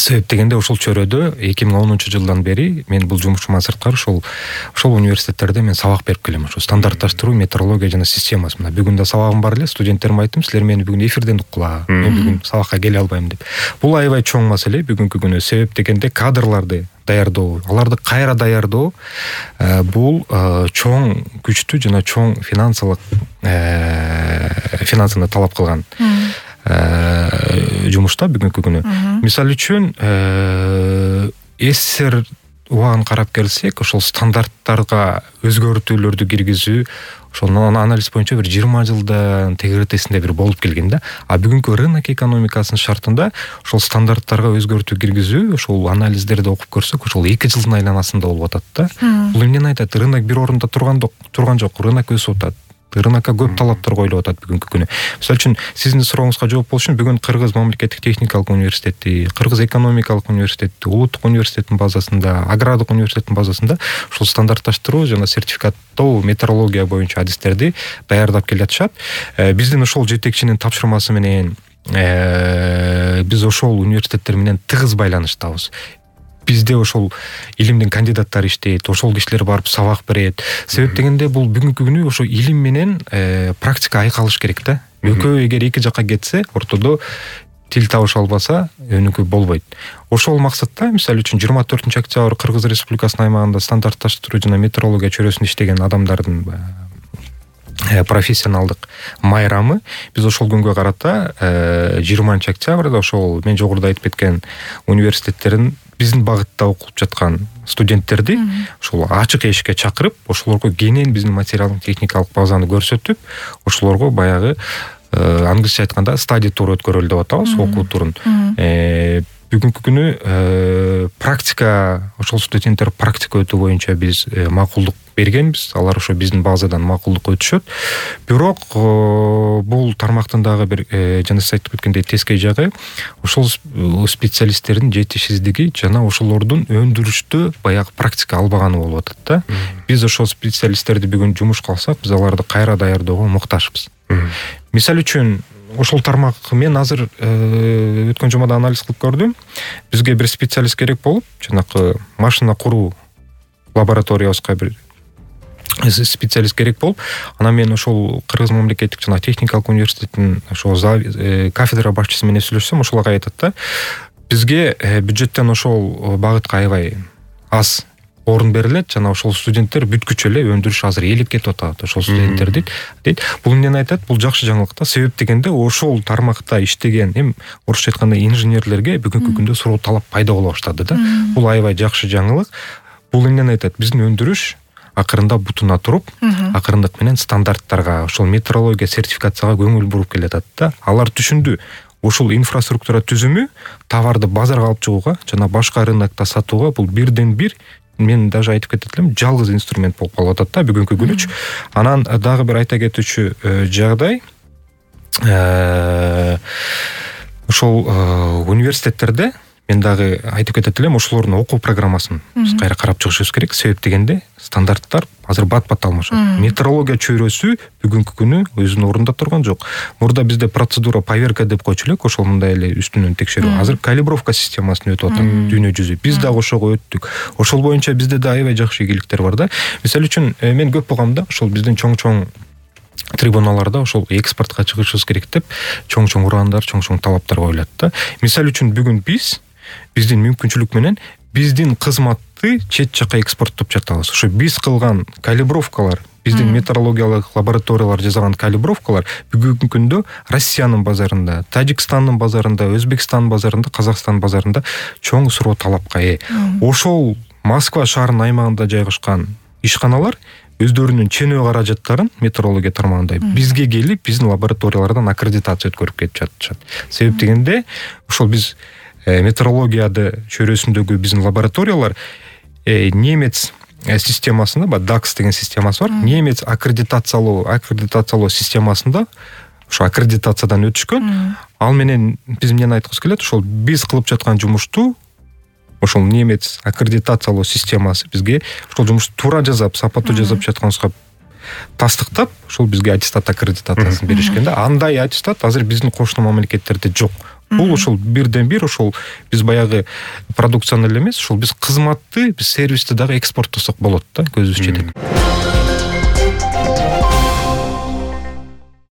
Себеп дегенде ошол чөрөдө 2010-жылдан бери мен бул жумушуман сырткары ошол университеттерде мен сабак берип келем. Ошо стандартташтыруу, метрология жана системасы. Мына бүгүн да сабагым бар эле, студенттериме айттым, силер мени бүгүн эфирден уккула. Мен бүгүн сабакка келе албайм деп. Бул аябай чоң маселе бүгүнкү күнү. Себеп дегенде кадрларды даярдоо, аларды кайра даярдоо бул чоң күчтүү жана чоң финансыны талап кылган жумушта бүгүнкү күнү. Мисалы үчүн СССР убагын карап келсек, ошол стандарттарга өзгөртүүлөрдү киргизүү ошол анализ боюнча бир 20 жылдан тегеретесинде бир болуп келген да. А бүгүнкү рынок экономикасынын шартында ошол стандарттарга өзгөртүү киргизүү, ошол анализдерди окуп көрсөк, ошол 2 жылдын айланасында болуп атат да. Бул эмнени айтат? Рынок бир орунда турган жок, рынок өсүп атат. Рынокко көп талаптар коюлуп атат бүгүнкү күнү. Мисалы үчүн сиздин сурооңузга жооп болуш үчүн бүгүн Кыргыз мамлекеттик техникалык университети, Кыргыз экономикалык университети, Улуттук университеттин базасында, Агрардык университеттин базасында ушул стандартташтыруу жана сертификаттоо метрология боюнча адистерди даярдап келатышат. Биздин ошол жетекчинин тапшырмасы менен биз ошол университеттер менен тыгыз байланыштабыз. Бизде ошол илимдин кандидаттары иштейт, ошол кишилер барып сабак берет. Себеп дегенде бул бүгүнкү күнү ошо илим менен практика айкалыш керек да. Экөө эгер эки жакка кетсе, ортодо тил табыша албаса, өнүкүү болбойт. Ошол максатта, мисалы үчүн 24-октябрь Кыргыз Республикасынын аймагында стандартташтыруу жана метрология чөрөсүндө иштеген адамдардын профессионалдык майрамы биз ошол күнгө карата 20-октябрда ошол мен жогоруда айтып кеткен университеттердин биздин багытта окуп жаткан студенттерди ошол ачык эшикке чакырып, ошолорго кенен биздин материалдык техникалык базаны көрсөтүп, ошолорго баягы англисче айтканда стади тур өткөрөлү деп атабыз, окуу турун. Бүгүнкү күнү практика, ошол студенттер практика өтүү боюнча биз макулдук бергенбиз. Алар ошо биздин базадан макулдук өтүшөт. Бирок бул тармактын дагы бир жана сиз айтып кеткендей тескей жагы, ошол специалисттердин жетишсиздиги жана ошолордун өндүрүштө баягы практика албаганы болуп атат да. Биз ошол специалисттерди бүгүн жумушка алсак, биз аларды кайра даярдөөгө муктажбыз. Мисалы үчүн ошол тармак мен азыр өткөн жумада анализ кылып көрдүм. Бизге бир специалист керек болуп, жанакы машина куруу лабораториябызга бир специалист керек болуп, анан мен ошол Кыргыз мамлекеттик жана техникалык университеттин ошол кафедра башчысы менен сүйлөшсөм, ошол ага айтат да, бизге бюджеттен ошол багытка аябай аз орун берилет жана ошол студенттер бүткүчө эле өндүрүш азыр ээлеп кетип атат ошол студенттерди дейт. Бул эмнени айтат? Бул жакшы жаңылык да. Себеп дегенде ошол тармакта иштеген орусча айтканда инженерлерге бүгүнкү күндө суроо талап пайда боло баштады да. Бул аябай жакшы жаңылык. Бул эмнени айтат? Биздин өндүрүш акырында бутуна туруп, акырындык менен стандарттарга, ошол метрология сертификацияга көңүл буруп келатат да. Алар түшүндү. Ошол инфраструктура түзүмү товарды базарга алып чыгууга жана башка рынокто сатууга бул бирден бир, мен даже айтып кетет элем, жалгыз инструмент болуп калып атат да бүгүнкү күнүчү. Анан дагы бир айта кетүүчү жагдай, ошол университеттерде мен дагы айтып кетет элем, ошолордун окуу программасын биз кайра карап чыгышыбыз керек. Себеп дегенде стандарттар азыр бат-бат алмашат. Метрология чөйрөсү бүгүнкү күнү өзүнүн ордунда турган жок. Мурда бизде процедура поверка деп койчу элек, ошол мындай эле үстүнөн текшерүү. Азыр калибровка системасын өтүп атат дүйнө жүзү. Биз дагы ошого өттүк. Ошол боюнча бизде да аябай жакшы ийгиликтер бар да. Мисалы үчүн мен көп болгондо ошол биздин чоң трибуналарда ошол экспортко чыгышыбыз керек деп чоң ураандар, чоң талаптар коюлат да. Мисалы үчүн бүгүн биздин мүмкүнчүлүк менен биздин кызматты чет жакка экспорттоп жатабыз. Ошо биз кылган калибровкалар, биздин метрологиялык лабораториялар жасаган калибровкалар бүгүнкү күндө Россиянын базарында, Тажикстандын базарында, Өзбекстандын базарында, Казакстандын базарында чоң суроо талапка ээ. Ошол Москва шаарынын аймагында жайгашкан ишканалар өздөрүнүн ченөө каражаттарын метрология тармагында бизге келип, биздин лабораториялардан аккредитация өткөрүп кетип жатышат. Себеп дегенде ошол биз метрологияды чөйрөсүндөгү биздин лабораториялар немец системасында, DAX деген системасы бар. Немец аккредитациялоо системасында ошо аккредитациядан өтүшкөн. Ал менен биз эмнени айткыбыз келет? Ошол биз кылып жаткан жумушту ошол немец аккредитациялоо системасы бизге ошол жумушту туура жасап, сапаттуу жасап жатканыбызга тастыктап, ошол бизге аттестат аккредитациясын беришкен да. Андай аттестат азыр биздин кошуна мамлекеттерде жок. Бул ошол бирден бир ошол биз баягы продукцияны эле эмес, ошол биз кызматты, биз сервисти дагы экспорттосок болот да, көзүбүз жетет.